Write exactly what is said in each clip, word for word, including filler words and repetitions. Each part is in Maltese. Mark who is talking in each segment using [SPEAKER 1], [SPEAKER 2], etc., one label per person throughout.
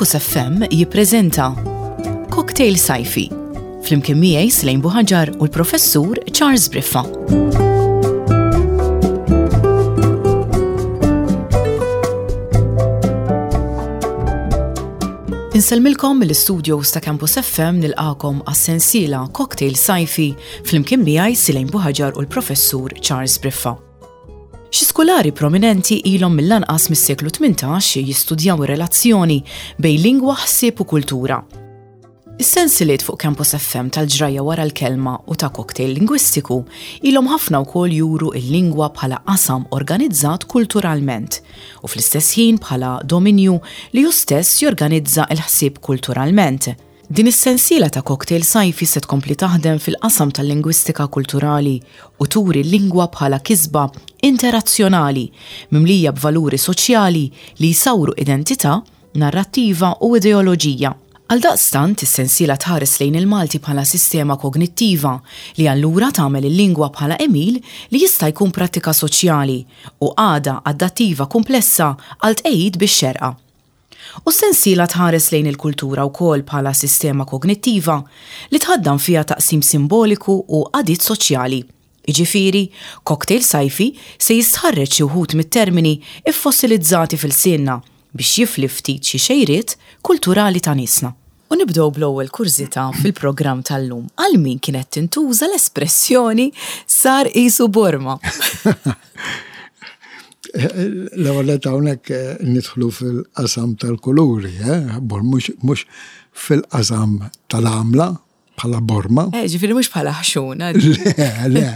[SPEAKER 1] Campus F M jippreżenta Cocktail Sajfi flimkien miegħi, Slejn Buħaġar, u l-Professur Charles Briffa. Insellmilkom mill-studios ta' Campus F M, nilqagħkom għas-sensiela Cocktail Sajfi flimkien miegħi, Silejn Buħaġar, u l-Professur Charles Briffa. Xi skulari prominenti ilhom mill-anqas mis-seklu tmintax jistudjaw ir-relazzjoni bejn lingwa, ħsieb u kultura. Is-sensiliet fuq Campus F M tal-Ġrajja wara l-kelma u ta' Cocktail Lingwistiku ilhom ħafna wkoll juru il-lingwa bħala qasam organizzat kulturalment u fl-istess ħin bħala dominju li hu stess jorganizza il-ħsieb kulturalment. Din is-sensiela ta' Cocktail Sajfi se tkompli taħdem fil-qasam tal-lingwistika kulturali u turi l-lingwa bħala kisba interazzjonali mimlija b'valuri soċjali li jsawru identità, narrattiva u ideoloġija. Għal daqstant, is-sensiela tħares lejn il-Malti bħala sistema kognittiva li allura tagħmel il-lingwa bħala għemil li jista' jkun prattika soċjali u għada adattiva komplessa għal tqejjid bix-xerqa. U s-sensiela tħares lejn il-kultura wkoll bħala sistema kognittiva li tħaddan fiha taqsim simboliku u għadiet soċjali. Iġifiri, Cocktail Sajfi se jistħarreġ xi wħud mit-termini iffossilizzati f'ilsienna biex jifli ftit xi xejriet kulturali ta' niesna. U nibdew bl-ewwel kurżità fil-programm tal-lum. Għal min kienet tintuża l-espressjoni "sar qisu borma"?
[SPEAKER 2] L-ewwel hawnhekk eh, nidħlu fil-qasam tal-kuluri, eh? Bor mhux mhux fil-qasam tal-għamla bħala borma.
[SPEAKER 1] Eh, ġifieri mhux bħala ħxuna.
[SPEAKER 2] Le, le,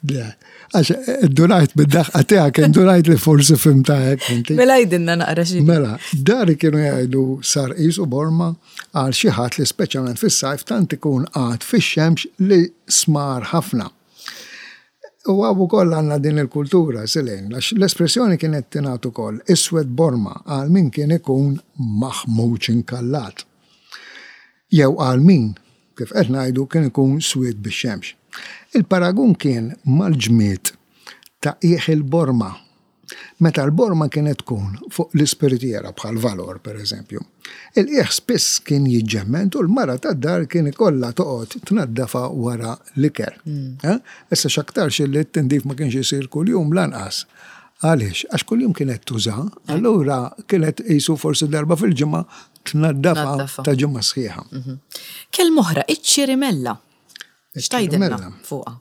[SPEAKER 2] le. Għax indunajt bid-daħqa tiegħek, indunajt li forsi fhimtha hekk inti.
[SPEAKER 1] Mela għidilna naqra xi.
[SPEAKER 2] Mela, dari kienu jgħidu "sar qisu borma" għal xi ħadd li speċjalment fis-sajf tant ikun qagħad fix-xemx li smar ħafna. U hawn ukoll għandna din il-kultura, Silejn, għax l-espressjoni kienet tingħad ukoll "iswed borma" għal min kien ikun maħmuġ inkallat. Jew għal min, kif qed ngħidu, kien ikun swied bix-xemx. Il-paragun kien mal-ġmied ta' qiegħ il-borma. Meta l-borma kienet tkun fuq l-ispiritiera bħal Valor, per eżempju. Il-qiegħ spiss kien jiġġemmed u l-mara tad-dar kien ikollha toqgħod tnaddafa wara l-ikel. Eh? Issa x'aktarx li t-tindif ma kienx isir kuljum lanqas. Għaliex? Għax kuljum kienet tuża, allura kienet qisu forsi darba fil-ġimgħa tnaddafa
[SPEAKER 1] Tnaddafa.
[SPEAKER 2] ta' ġimgħa sħiħa.
[SPEAKER 1] Kelma oħra, iċ-ċirimella. X'tgħidilna
[SPEAKER 2] Iċ-ċirimella.
[SPEAKER 1] fuqha?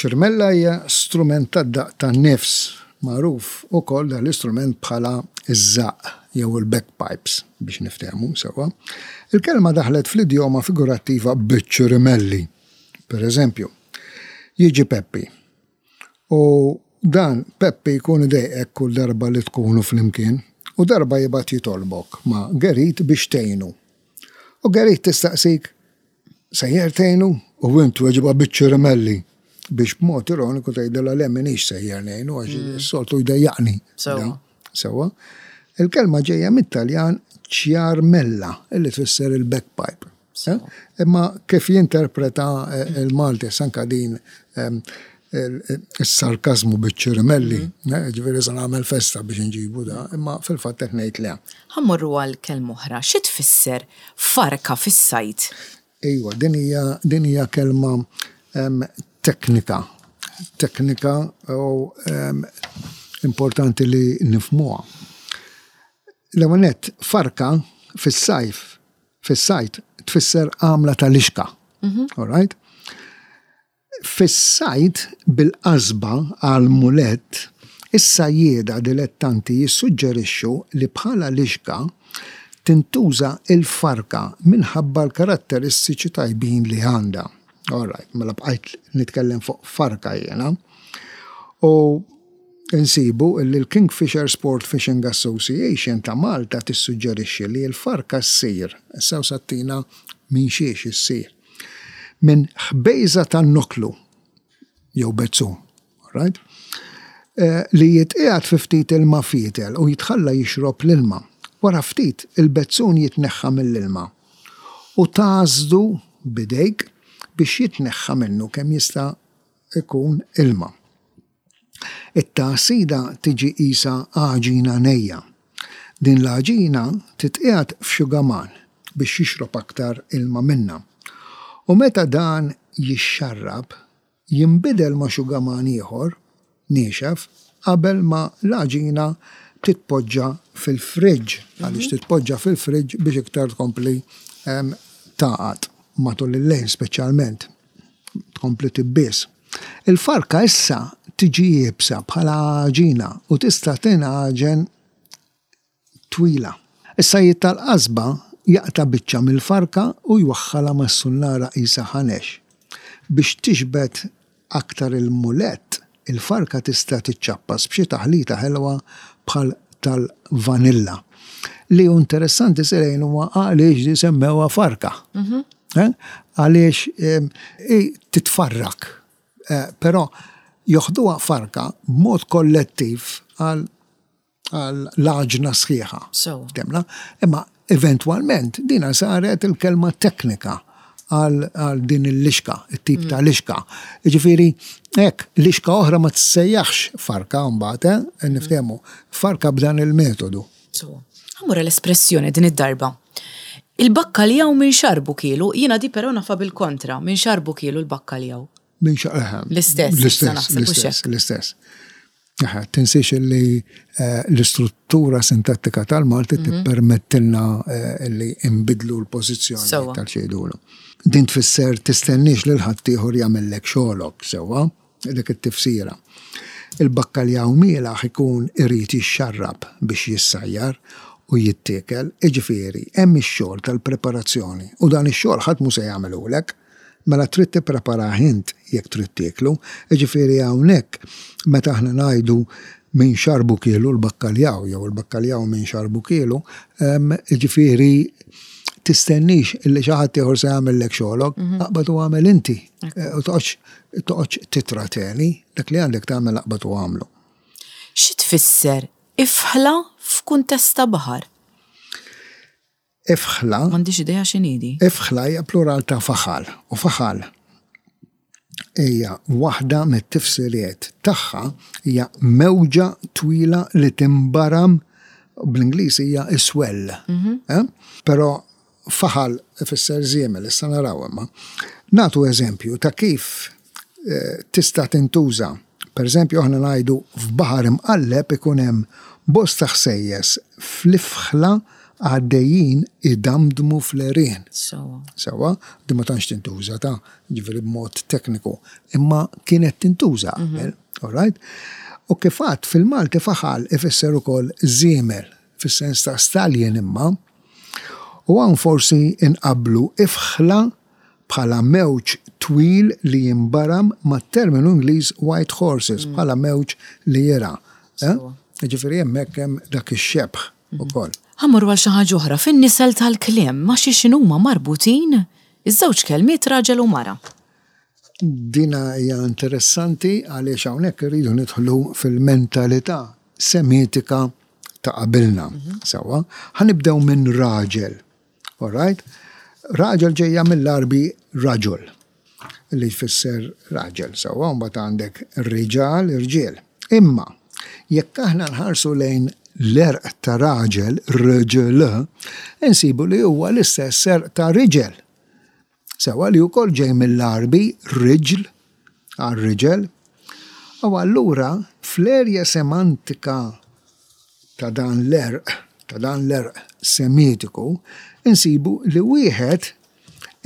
[SPEAKER 2] Ċirimella hija strument tad-daq tan-nifs, magħruf ukoll dan l-istrument bħala iż-żaqq jew il-bagpipes, biex niftehmu sewwa. Il-kelma daħlet fl-idjoma figurattiva "biċ-ċirimelli". Per eżempju, jiġi Peppi. U dan Peppi jkun idejqek kull darba li tkunu flimkien u darba jibgħat jitolbok ma' Gerit biex tgħinu. U Gerit tistaqsik, "Sejjer tgħinu?" U int tweġibha "biċ-ċirimelli" biex b'mod ironiku tgħidilha le, m'iniex sejjer ngħinu għax is-soltu jdejjaqni.
[SPEAKER 1] Sewwa.
[SPEAKER 2] Da, Sewwa. Il-kelma ġejja mit-Taljan ciarmella, illi tfisser il-bagpipe. Eh? Imma kif jinterpreta eh, il-Malti sanka din em, il- il-sarkazmu "biċ-ċirimelli", eh, ġifieri se nagħmel festa biex nġibu da, imma fil-fatt qed ngħid le.
[SPEAKER 1] Ħa mmorru għal kelma oħra. Xi tfisser "farka fis-sajd"?
[SPEAKER 2] Ejwa, din hija din hija kelma em, teknika. Teknika u em, importanti li nifhmuha. L-ewwel nett, farka fis-sajf, fis-sajd tfisser għamla tal-ixka. All right? Fis-sajd bil-qasba għal mulett, is-sajjieda dilettanti jissuġġerixxu li bħala lixka tintuża il-farka minħabba l-karatteristiċi tajbin li għandha. All right, mela bqajt nitkellem fuq farka jiena. U insibu li l-Kingfisher Sport Fishing Association ta' Malta tissuġġerixxi li l-farka ssir, issa sattina minn xiex issir, minn ħbejża tan-noklu jew bezzun, all right? Eh, li jitqiegħed fi ftit ilma fietel u jitħalla jixrob l-ilma. Wara ftit il-bezzun jitneħħa mill-ilma u tagħsdu b'idejk biex jitneħħa minnu kemm jista' ikun ilma. It-tagħsida tiġi qisha għaġina nejja. Din l-għaġina titqiegħed f'xugaman biex jixrob aktar ilma minna. U meta dan jixxarrab, jinbidel ma' xugaman ieħor niexef qabel ma l-għaġina titpoġġa fil-friġġ, għaliex titpoġġa fil-friġġ biex iktar tkompli tagħqad matul il-lejl speċjalment, tkompli tibbies. Il-farka issa tiġi iebsa bħala għaġina u tista' tingħaġen twila. Is-sajjied tal-qasba jaqta' biċċa mill-farka u jwaħħalha mas-sunnara qisha ħanex. Biex tixbet aktar il-mulett, il-farka tista' tiċċappas b'xi taħlita ħelwa bħal tal-vanilla. Li hu interessanti sirejn huwa għaliex di semmewha farka. Għaliex titfarrak. Però joħduha farka b'mod kollettiv għal l-għaġna sħiħa. Temna? Imma eventwalment dina saret il-kelma teknika għal din il-lixka, il-tip ta' lixka. Ġifieri, hekk, lixka oħra ma tissejjaħx farka mbagħad, eh, niftehmu, farka b'dan il-metodu.
[SPEAKER 1] Ħa mmur l-espressjoni din id-darba. Il-bakkaljaw minn xarbu kielu, jiena di però nafha bil-kontra, minn xarbu kielu l-bakkaljaw.
[SPEAKER 2] Minn xarbu.
[SPEAKER 1] L-istess.
[SPEAKER 2] L-istess, l-istess, l-istess. Tinsiex li l-istruttura sintattika tal-Malti tippermettilna li imbidlu l-pożizzjoni tal-xejdulu. Din tfisser tistennix lil ħaddieħor jagħmellek xogħlok sewwa, dik it-tifsira. Il-bakkaljaw mielaħ ikun irid jixxarrab biex jissajjar u jittiekel, jiġifieri hemm ix-xogħol tal-preparazzjoni u dan ix-xogħol ħadd mhu se jagħmelulek. Mela trid tippreparah int jekk trid tieklu, jiġifieri hawnhekk meta aħna ngħidu minn xarbu kielu l-bakkaljaw jew il-bakkaljaw minn xarbu kielu, jiġifieri tistennix illi xi ħadd ieħor se jagħmellek xogħlok, aqbad u agħmel inti. U toqgħodx toqgħodx titrateni, dak li għandek tagħmel aqbad u agħmlu.
[SPEAKER 1] Xi tfisser ifħla f'kuntest ta' baħar?
[SPEAKER 2] Ifħla.
[SPEAKER 1] M'għandix idea x'inhi di.
[SPEAKER 2] Ifħla hija plural ta' faħal u faħal hija waħda mit-tifsiriet tagħha hija mewġa twila li timbaram, bl-Ingliż hija swell. Però faħal ifisser żiemel, issa naraw imma. Nagħtu eżempju ta' kif tista' tintuża. Per eżempju, aħna ngħidu f'baħar imqalleb ikun hemm bosta ħsejjes fl-ifħla għaddejjin idamdmu fl-għerien.
[SPEAKER 1] Sewwa.
[SPEAKER 2] Sewwa, di ma tantx tintuża ta' ġifieri b'mod tekniku, imma kienet tintuża qabel, all right? U kif għadt fil-Malti faħal ifisser ukoll żiemel, fis-sens ta' stallion imma. U hawn forsi inqablu ifħla bħala mewġ twil li jimbaram mat-terminu Ingliż white horses, bħala mewġ li jera. Ġifieri hemmhekk hemm dak ix-xebh ukoll.
[SPEAKER 1] Ħa mmorru għal xi ħaġa oħra fin-nisel tal-kliem ma' xi x'inhuma marbutin iż-żewġ kelmiet raġel u mara.
[SPEAKER 2] Dina hija interessanti għaliex hawnhekk irridu nidħlu fil-mentalità semitika ta' qabilna. Sewwa, ħa nibdew minn raġel. All right? Raġel ġejja mill-Arbi raġul, li jfisser raġel, sewwa, mbagħad għandek riġal, irġiel. Imma jekk aħna nħarsu lejn l-għerq ta' raġel, rġel, insibu li huwa l-istess għerq ta' riġel. Sewwa li wkoll ġej mill-Arbi riġl għal riġel. U allura fl-erja semantika ta' dan l-għerq, ta' dan l-għerq semitiku, insibu li wieħed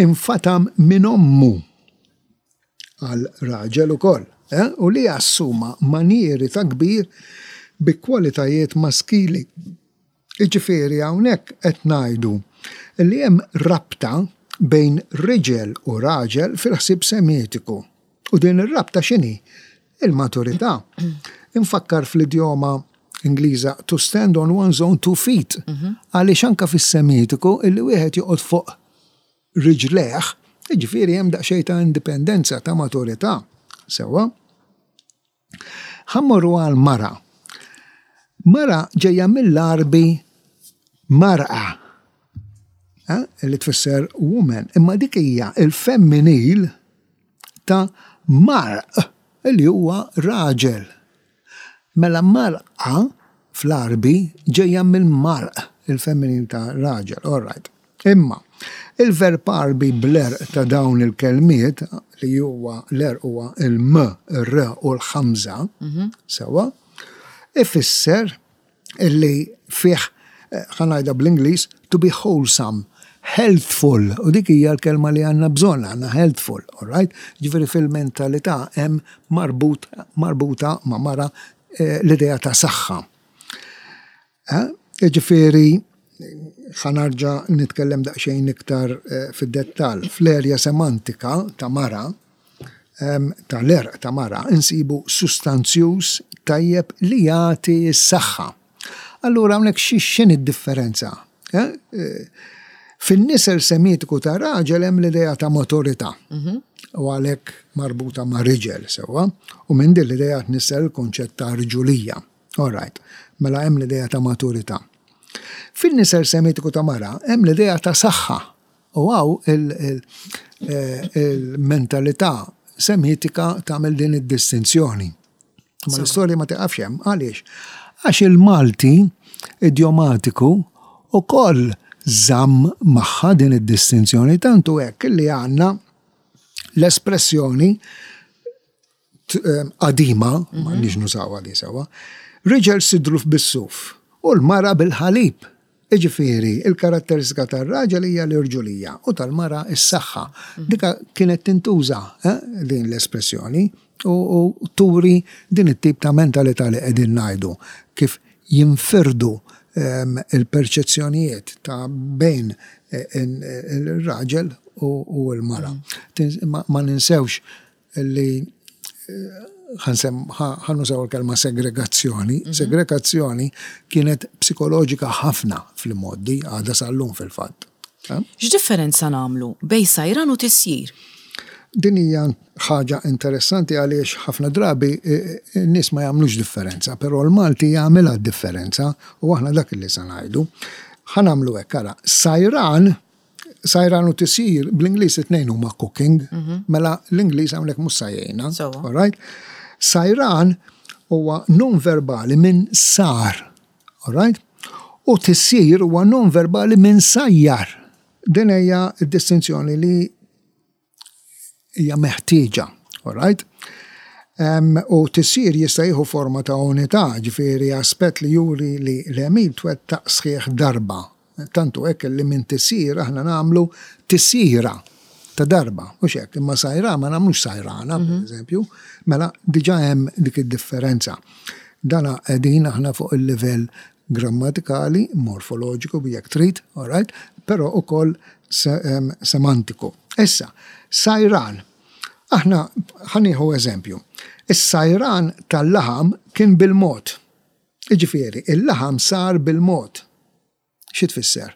[SPEAKER 2] infatam minn ommu għal raġel ukoll, eh? U li assuma manieri ta' kbir bi kwalitajiet maskili. Jiġifieri hawnhekk qed ngħidu li hemm rabta bejn riġel u raġel fil-ħsieb semitiku. U din ir-rabta x'inhi? Il-maturità. Infakkar fl-idjoma Ingliża to stand on one's own two feet. Għaliex anka fis-semitiku illi wieħed joqgħod fuq riġlejh, jiġifieri hemm daqsxejn ta' indipendenza, ta' maturità. Sewwa? Ħa mmorru għal mara. Mara ġejja mill-Arbi mar'a, li tfisser woman, imma dik hija il-femminil ta' marq, li huwa raġel. Mela mar'a fl-Arbi ġejja mill-marq, il-feminin ta' raġel, all right. Imma, il-verb Arbi bl-għerq ta' dawn il-kelmiet, li huwa l-għerq huwa il-M, il-R u l-ħamża, sewa, ifisser illi fih, ħa ngħidha bl-Ingliż, to be wholesome, healthful, u dik hija l-kelma li għandna bżonn, għandna healthful, all right? Ġifieri fil-mentalità hemm marbut, marbuta ma' mara eh, l-idea ta' saħħa. Eh? Ġifieri, ħa nerġa' nitkellem daqsxejn iktar eh, fid-dettall. Fl-erja semantika ta' mara, em, tal-għerq ta' mara, insibu sustanzjuż tajjeb li jagħti s-saħħa. Allura hawnhekk xi x'inhi d-differenza? Eh? Eh, Fin-nisel semitiku ta' raġel hemm l-idea ta' maturità. U għalhekk marbuta ma' riġel sewwa, u minn din l-idea tnissel il-konċett ta' rġulija. All right, mela hemm l-idea ta' maturità. Fin-nisel semitiku ta' mara hemm l-idea ta' saħħa. U hawn il-mentalità semitika tagħmel din id-distinzjoni. Ma l-istorja ma tiqafx hemm, għaliex? Għax il-Malti idiomatiku ukoll żamm magħha din id-distinzjoni, tantu hekk li għandna l-espressjoni qadima, ma nix nużawha di sewa, riġel sidru bis-suf u l-mara bil-ħalib. Iġifieri, il-karatteristika tar-raġel hija l-irġulija u tal-mara s-saħħa. Dika kienet tintuża eh, din l-espressjoni u, u turi din it-tip ta' mentalità li qegħdin ngħidu kif jinfirdu um, il-perċezzjonijiet ta' bejn il-raġel u, u l-mara. Ma, ma ninsewx li ħa nużaw il-kelma segregazzjoni. Segregazzjoni kienet psikoloġika ħafna fl-modi, għadha sal-lum fil-fatt.
[SPEAKER 1] X'differenza nagħmlu bejn sajran u tisjir?
[SPEAKER 2] Din hija ħaġa interessanti għaliex ħafna drabi n-nies ma jagħmlux differenza, però l-Malti jagħmilha differenza u aħna dak li se ngħidu. Ħa nagħmlu hekk ara, sajran sajran u tisjir bl-Ingliż it-tnejn huma cooking, mela l-Ingliż hawnhekk mhux se jgħinna. All right? Sajran huwa non verbali minn sar, all right? U tisjir huwa non verbali minn sajjar. Din hija d-distinzjoni li hija meħtieġa, all right? Um, u tisjir jista' jieħu forma ta' unità, ġifieri aspett li juri li l-għemil twettaq sħiħ darba. Tantu hekk li minn tisjir aħna nagħmlu tisjira ta' darba, mhux hekk, imma sajra ma nagħmlux sajrana, per eżempju, mela diġà hemm dik id-differenza. Dana qegħdin aħna fuq il-livell grammatikali, morfoloġiku jekk trid, all right, però ukoll se, um, semantiku. Issa, sajran. Aħna ħa nieħu eżempju. Is-sajran tal-laħam kien bil-mod. Iġifieri, il-laħam sar bil-mod. Xi tfisser?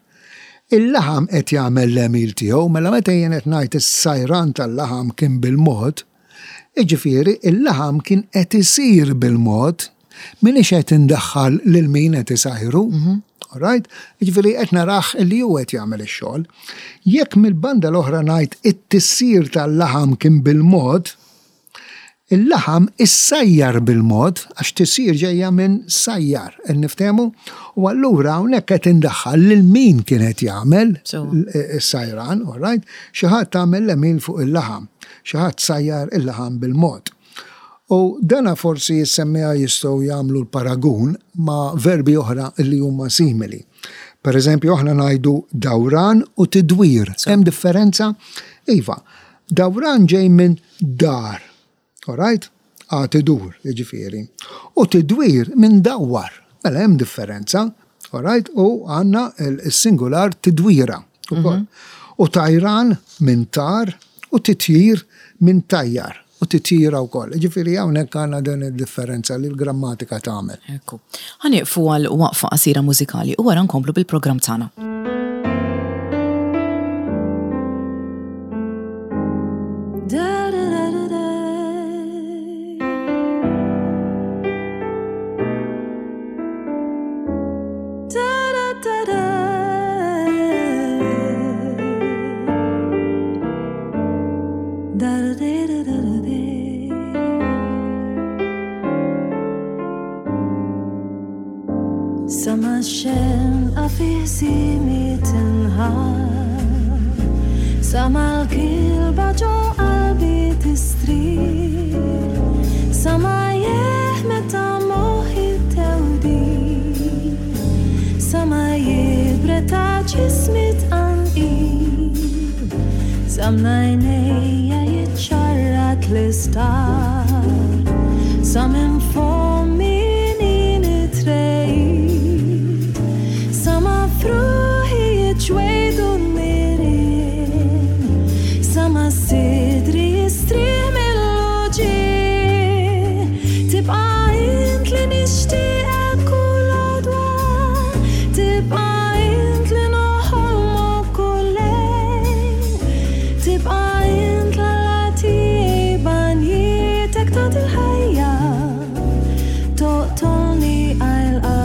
[SPEAKER 2] Il-laħam qed jagħmel l-għemil tiegħu, mela meta jien qed ngħid is-sajran tal-laħam kien bil-mod, iġifieri il-laħam kien qed isir bil-mod, minix qed indaħħal lil min qed isajru. All right? Jiġifieri qed narah li hu qed jagħmel ix-xogħol. Jekk mill-banda l-oħra ngħid it-tisjir tal-laħam kien bil-mod, il-laħam issajjar bil-mod, għax tisjir ġejja minn sajjar, niftehmu, u allura hawnhekk qed indaħħal lil min kien qed jagħmel is-sajran, all right? Xi ħadd tagħmel l-għemil fuq il-laħam, xi ħadd sajjar il-laħam bil-mod. U dana forsi jissemmija jistgħu jagħmlu l-paragun ma' verbi oħra li huma simili. Per eżempju, aħna ngħidu dawran u tidwir. Hemm differenza? Iva, dawran ġej minn dar. All right? Għad idur, jiġifieri. U tidwir minn dawwar. Mela hemm differenza. All right? U għandna il-singular tidwira. ukoll. U tajran minn tar u titjir minn tajjar. U titjira wkoll. Ġifieri hawnhekk għandna din id-differenza li l-grammatika tagħmel.
[SPEAKER 1] Ekku. Ħa nieqfu għal waqfa qasira mużikali u wara nkomplu bil-programm tagħna.
[SPEAKER 3] ħsiemi tinħall, sa mal-kilba ġo qalbi tistrieħ, sa ma jeħ meta moħħi tewdi, sa ma jibred ta' ġismi tqanqil, sa mnajnejja jiċċarrat l-istar, sa minn fommi nitrejt, sa ma fruħi jiċwejdu n-nirien, sa ma sidri jistrieħ mill-uġigħ, tibqa' int li nixtieqek kull għodwa, tibqa' int li noħolmok kull lejl, tibqa' int l-Alla tiegħi b'għanjietek tagħti l-ħajja, toqtolni għajl għajl.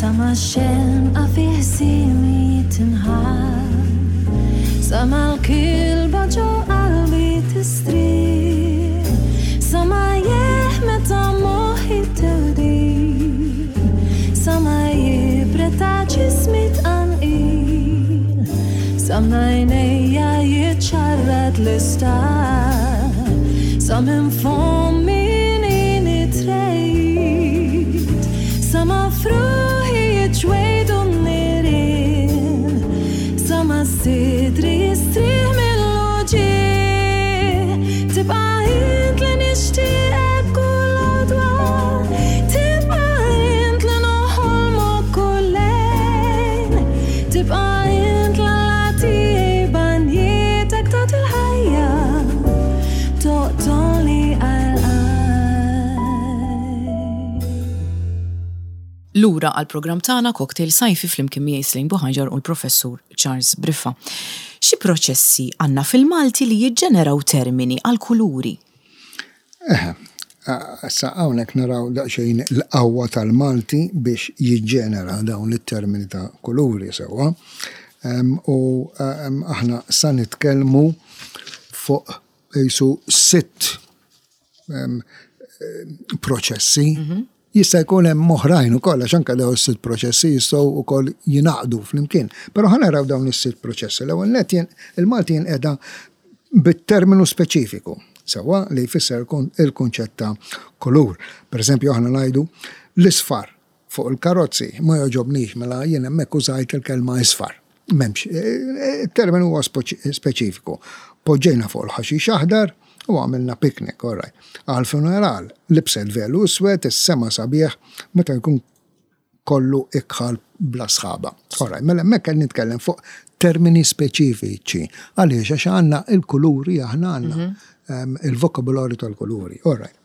[SPEAKER 3] Sa ma xenqa fi ħsiemi tinħall, sa ma l-kilba ġo qalbi tistrieħ, sa ma jeħ meta moħħi tewdi, sa ma jibred ta' ġismi tqanqil, sa mnajnejja jiċċarrat l-istar, sa minn fommi nitrejt, sa ma fruħi jiċwejdu n-nirien, sa ma sidri jistrieħ mill-uġigħ, tibqa' int li nixtieqek kull għodwa, tibqa' int li noħolmok kull lejl, tibqa' int l-Alla tiegħi b'għanjietek tagħti l-ħajja, toqtolni għal għajl.
[SPEAKER 1] Lura għal programm tagħna Cocktail Sajfi flimkien miegħi Slane Buhagiar u l-Professur Charles Briffa. Xi proċessi għandna fil-Malti li jiġġeneraw termini għal kuluri?
[SPEAKER 2] Eħe, issa hawnhekk naraw daqsxejn l-qawwa tal-Malti biex jiġġenera dawn it-termini ta' kuluri sewwa. Em, U em, aħna sa nitkellmu fuq jisu sitt em, em, proċessi. Jista' jkun hemm oħrajn ukoll għax anke dawn is-sitt proċessi jistgħu wkoll jingħaqdu flimkien. Però ħa naraw dawn is-sitt proċessi. L-ewwel nett jien il-Malti jinqeda bit-terminu speċifiku, sewwa li jfisser kun- il-kunċett ta' kulur. Per eżempju, aħna ngħidu l-isfar fuq il-karozzi ma jogħġobnix mela jien hemmhekk użajt il-kelma isfar. M'hemmx, eh, il-terminu huwa speċifiku. Poġġejna fuq il-ħaxix aħdar u għamilna picnic, all right. Għal funeral, libset velu iswed, is-sema sabiħ, meta jkun kollu ikħal bla sħaba. All right, mela hemmhekk qed nitkellem fuq termini speċifiċi. Għaliex għax għandna il-kuluri aħna għandna em, il-vokabularju tal-kuluri. All right.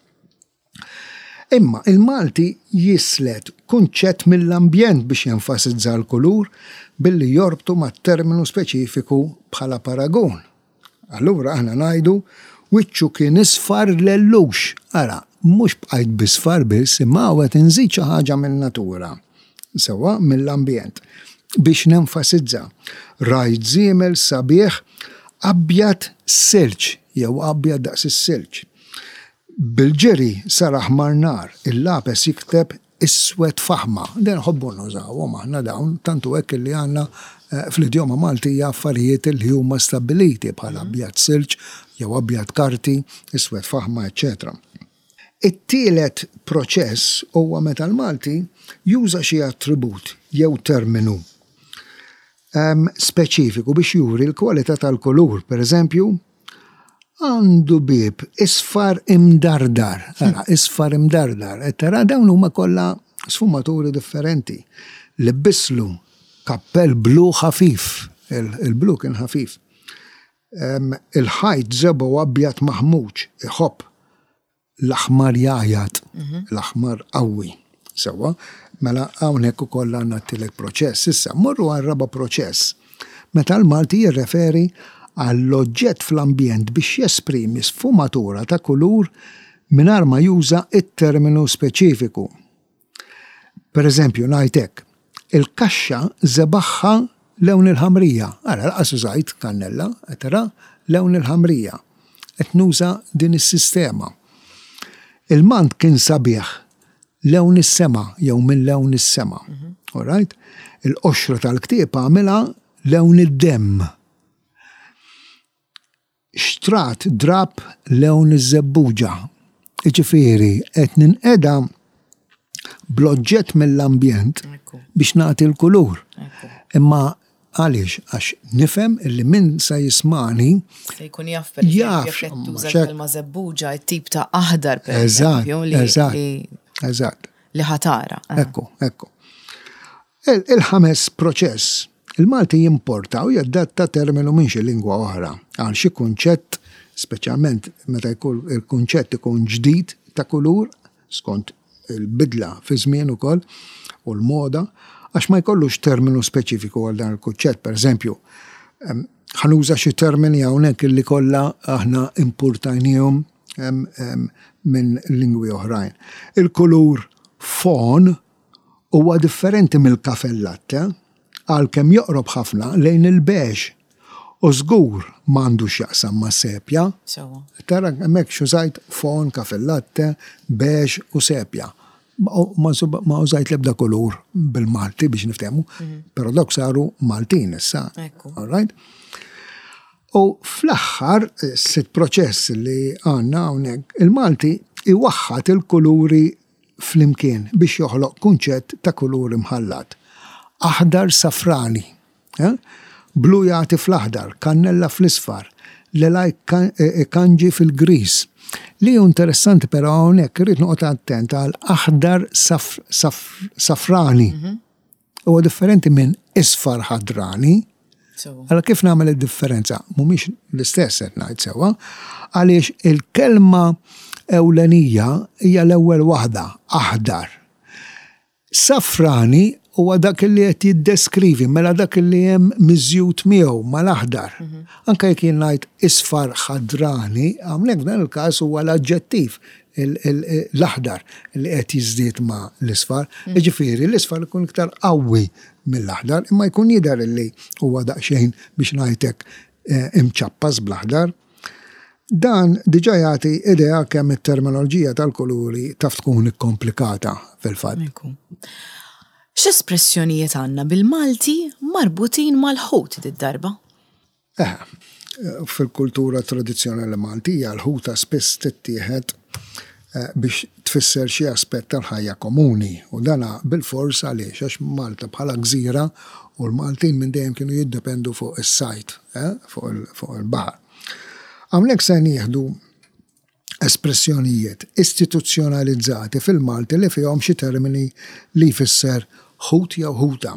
[SPEAKER 2] Imma il-Malti jislet kunċett mill-ambjent biex jenfasizza l-kulur billi jorbtu ma' terminu speċifiku bħala paragun. Allura aħna ngħidu wiċċu kien isfar lellux. Ara, mhux bqajt bisfar biss, imma qed inżid xi ħaġa min-natura. Sewwa mill-ambjent. Biex nenfasizza. Rajt żiemel sabiħ abjad silġ jew abjad daqs is-silġ. Bil-ġiri sar aħmar nar, il-lapes jikteb iswed faħma. Den ħobbu nużawhom aħna dawn, tantu hekk li għandna eh, fl-idjoma Maltija affarijiet li huma stabiliti bħala abjad silġ jew abjad karti, iswed faħma, eċċetera. It-tielet proċess huwa meta l-Malti juża xi attribut jew terminu um, speċifiku biex juri l-kwalità tal-kulur. Per eżempju, għandu bib isfar imdardar. Ara, isfar imdardar. E tara dawn huma kollha sfumaturi differenti. Libbislu kappell blu ħafif. Il-blu kien ħafif. Il-ħajt żebgħu abjad maħmuġ, iħobb l-aħmar jgħajjat, l-aħmar qawwi. Sewwa, mela hawnhekk ukoll għandna t-tielet proċess. Issa, morru għar-raba' proċess. Meta l-Malti jirreferi għall-oġġett fl-ambjent biex jesprimi sfumatura ta' kulur mingħajr ma juża it-terminu speċifiku. Per eżempju, ngħidlek, il-kaxxa żebagħha lewn il-ħamrija. Ara, lanqas użajt kannella, tara, lewn il-ħamrija. Qed nuża din is-sistema. Il-mant kien sabiħ lewn is-sema jew minn lewn is-sema. All right? Il-qoxra tal-ktieb għamilha lewn id-demm. Xtrat drab lewn iż-żebbuġa. Iġifieri qed ninqeda bl-oġġett mill-ambjent biex nagħti l-kulur. Imma għaliex? Għax nifhem illi min sa jismani
[SPEAKER 1] Se jkun jaf per
[SPEAKER 2] Jaf,
[SPEAKER 1] eżempju, jekk qed tuża
[SPEAKER 2] xek-
[SPEAKER 1] l-kelma żebbuġa, it-tip ta' aħdar per
[SPEAKER 2] Eżatt,
[SPEAKER 1] eżempju, li-
[SPEAKER 2] eżatt,
[SPEAKER 1] li-
[SPEAKER 2] eżatt.
[SPEAKER 1] li ħa tara.
[SPEAKER 2] Ekku, ekku. Il- Il-ħames proċess, il-Malti jimporta u jaddatta terminu minn xi lingwa oħra għal xi kunċett, speċjalment meta jkun il-kunċett ikun ġdid ta' kulur, skont il-bidla fi żmien ukoll u l-moda, għax ma jkollux terminu speċifiku għal dan il-kunċett. Per eżempju, em, ħa nuża xi termini hawnhekk illi kollha aħna importajnihom em, em, minn lingwi oħrajn. Il-kulur fawn huwa differenti mill-caffè latte, għalkemm joqrob ħafna lejn il-beige. U żgur m'għandux jaqsam ma' sepja.
[SPEAKER 1] Sewwa.
[SPEAKER 2] Tara hemmhekk x'użajt fawn, caffè latte, beige u sepja. Ma ma ma użajt l-ebda kulur bil-Malti biex niftehmu, però dawk saru Maltin issa.
[SPEAKER 1] Ekku.
[SPEAKER 2] All right? U fl-aħħar, sitt proċess li għandna hawnhekk, il-Malti iwaħħat il-kuluri flimkien biex joħloq kunċett ta' kuluri mħallat. Aħdar safrani, eh? Blu jagħti fl-aħdar, kannella fl-isfar, lilaj kanġi fil-gris. Li hu interessanti però hawnhekk irrid noqgħod attent għal aħdar saf, saf, safrani. Huwa differenti minn isfar ħadrani.
[SPEAKER 1] Sewwa.
[SPEAKER 2] Allora kif nagħmel id-differenza? Mhumiex l-istess qed ngħid sewwa, għaliex il-kelma ewlenija hija l-ewwel waħda, aħdar. Safrani huwa dak li qed jiddeskrivi, mela dak li hemm miżjud miegħu mal-aħdar. Anke jekk jien ngħid isfar ħadrani, hawnhekk f'dan il-każ huwa l-aġġettiv l-aħdar li qed jiżdied ma' l-isfar. Jiġifieri l-isfar ikun iktar qawwi mill-aħdar, imma jkun jidher li huwa daqsxejn biex ngħidlek imċappas bl-aħdar. Dan diġà jagħti idea kemm it-terminoloġija tal-kuluri taf tkun ikkomplikata fil-fatt.
[SPEAKER 1] Ekku. X'espressjonijiet għandna bil-Malti marbutin mal-ħut did-darba?
[SPEAKER 2] Eh, fil-kultura tradizzjonali Maltija l-ħuta spiss tittieħed eh, biex tfisser xi aspett tal-ħajja komuni u dana bil-fors għaliex għax Malta bħala gżira u l-Maltin minn dejjem kienu jiddependu fuq is-sajt, eh, fuq il-baħar. Hawnhekk se nieħdu espressjonijiet istituzzjonalizzati fil-Malti li fihom xi termini li jfisser ħut jew ħuta.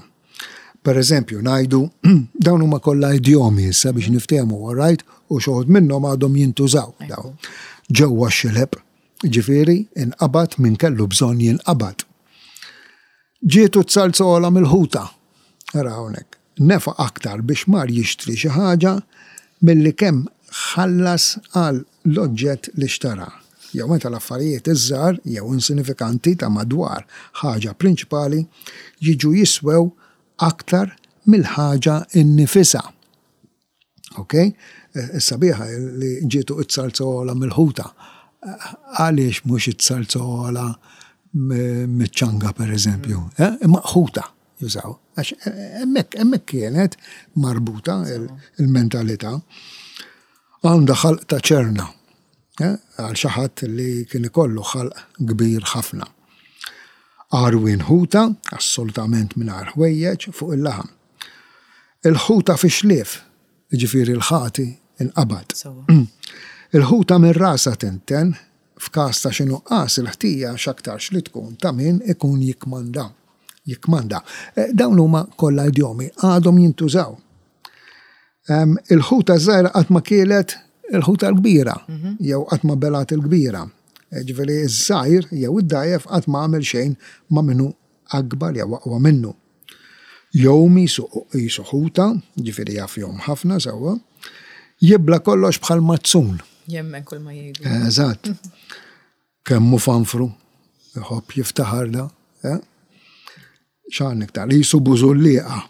[SPEAKER 2] Per eżempju, ngħidu dawn huma kollha idjomi issa biex niftehmu, all right, u xi wħud minnhom għadhom jintużaw dawn. Ġewwa xileb, ġifieri inqabad min kellu bżonn jinqabad. Ġietu t-salzola mill-ħuta. Ara hawnhekk. Nefaq aktar biex mar jixtri xi ħaġa milli kemm ħallas għal l-oġġett li xtara. Jew meta l-affarijiet iż-żgħar jew insinifikanti ta' madwar ħaġa prinċipali jiġu jiswew aktar mill-ħaġa innifisha. Ok? Is-sabiħa li ġietu it-salzola mill-ħuta. Għaliex mhux it-salzola miċ-ċanga per eżempju. Eh? Imma ħuta jużaw. Għax hemmhekk hemmhekk kienet marbuta il-mentalità. Għandha ħalq ta' ċerna. Eh? Għal xi ħadd li kien ikollu ħalq kbir ħafna. Għarwien ħuta, assolutament mingħajr ħwejjeġ fuq il-laħam. Il-ħuta fix-xlief, ġifieri l-ħati inqabad. Il-ħuta minn rasa tinten, f'każ ta' xi nuqqas il-ħtija x'aktarx li tkun ta' min ikun jikmanda. Jikmanda. Eh, dawn huma kollha idjomi għadhom jintużaw. Il-ħuta żgħira qatt ma kielet il-ħuta l-kbira, mhm. jew qatt ma belat il-kbira. Eh, ġifieri iż-żgħir jew id-dgħajjef qatt ma għamel xejn ma minnu akbar jew aqwa minnu. Jgħum qisu ħuta, ġifieri jaf jgħum ħafna sewwa, jibla kollox bħal mazzun.
[SPEAKER 1] Jemmen kull ma jgħidu.
[SPEAKER 2] Eżatt. Kemm hu fanfru, iħobb jiftaħar da. Eh? X'għandna iktar, qisu bużulliqa.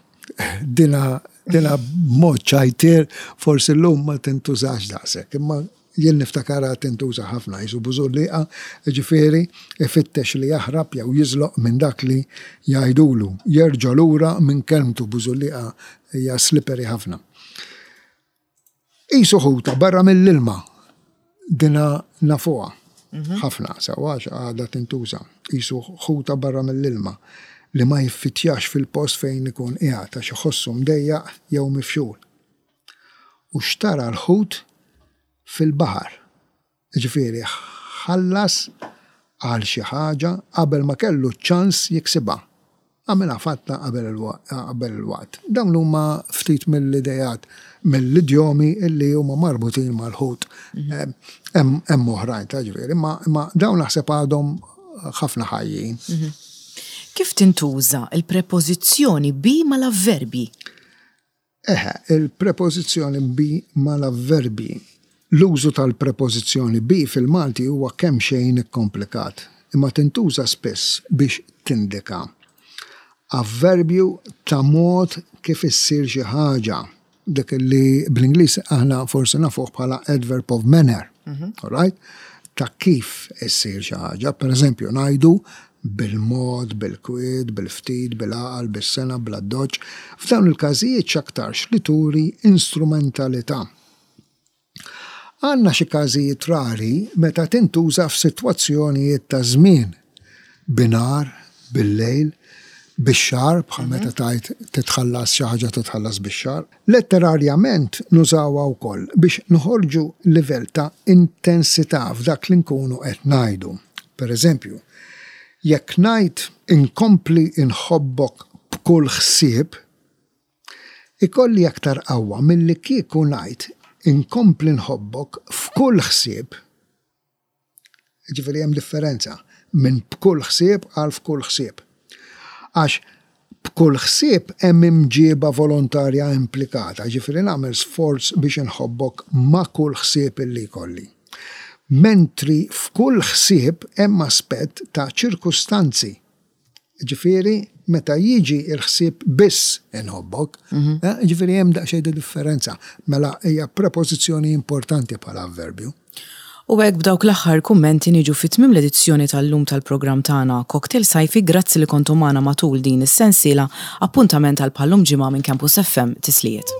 [SPEAKER 2] Dina dina mod ċajtier forsi l-lum ma tintużax daqshekk, imma jien niftakarha tintuża ħafna qisu bużulliqa, ġifieri ifittex li jaħrab jew jiżloq minn dak li jgħidulu. Jerġa' lura minn kelmtu bużulliqa hija slippery ħafna. Qisu ħuta barra mill-ilma dina nafuha mhm. ħafna sewwa għadha tintuża. Qisu ħuta barra mill-ilma li ma jiffitjax fil-post fejn ikun qiegħed għax iħossu mdejjaq jew mifxul. U xtara l-ħut fil-baħar. Ġifieri ħallas għal xi ħaġa qabel ma kellu ċans jiksibha. Għamilha fatta qabel il-waqt. Dawn huma ftit mill-idejat mill-idjomi illi huma marbutin mal-ħut. Mhm. Hemm oħrajn ta' ġifieri, imma dawn naħseb għadhom ħafna ħajjin.
[SPEAKER 1] Mhm. Kif tintuża il-prepożizzjoni bi mal-avverbi?
[SPEAKER 2] Eħe, il-prepożizzjoni bi mal-avverbi. L-użu tal-prepożizzjoni bi fil-Malti huwa kemm xejn ikkomplikat, imma tintuża spiss biex tindika avverbju ta' mod kif issir xi ħaġa. Dak li bl-Ingliż aħna forsi nafuh bħala adverb of manner. Mhm. All right? Ta' kif issir xi ħaġa. Per eżempju, ngħidu bil-mod, bil-kwiet, bil-ftit, bil-għaqal, bis-sengħa, bl-addoċċ. F'dawn il-każijiet x'aktarx li turi instrumentalità. Għandna xi każijiet rari meta tintuża f'sitwazzjonijiet ta' żmien, binhar, bil-lejl, bix-xahar, bħal meta tgħid titħallas xi ħaġa titħallas bix-xahar. Letterarjament nużawha wkoll biex noħorġu livell ta' intensità f'dak li nkunu qed ngħidu. Per eżempju, jekk ngħid inkompli inħobbok b'kull ħsieb, ikolli aktar qawwa milli kieku ngħid inkompli nħobbok f'kull ħsieb. Ġifieri hemm differenza minn b'kull ħsieb għal f'kull ħsieb. Għax b'kull ħsieb hemm imġieba volontarja implikata, ġifieri nagħmel sforz biex inħobbok ma' kull ħsieb illi jkolli. Mentri f'kull ħsieb hemm aspett ta' ċirkustanzi. Ġifieri meta jiġi il-ħsieb biss inħobbok, mhm. eh, ġifieri hemm daqsxejn differenza. Mela hija prepożizzjoni importanti bħala avverbju.
[SPEAKER 1] U hekk b'dawk l-aħħar kummenti niġu fi tmiem l-edizzjoni tal-lum tal-programm tagħna Cocktail Sajfi grazzi li kontu magħna matul din is-sensiela appuntament għal bħal-lum ġimgħa minn Campus FM tislijiet.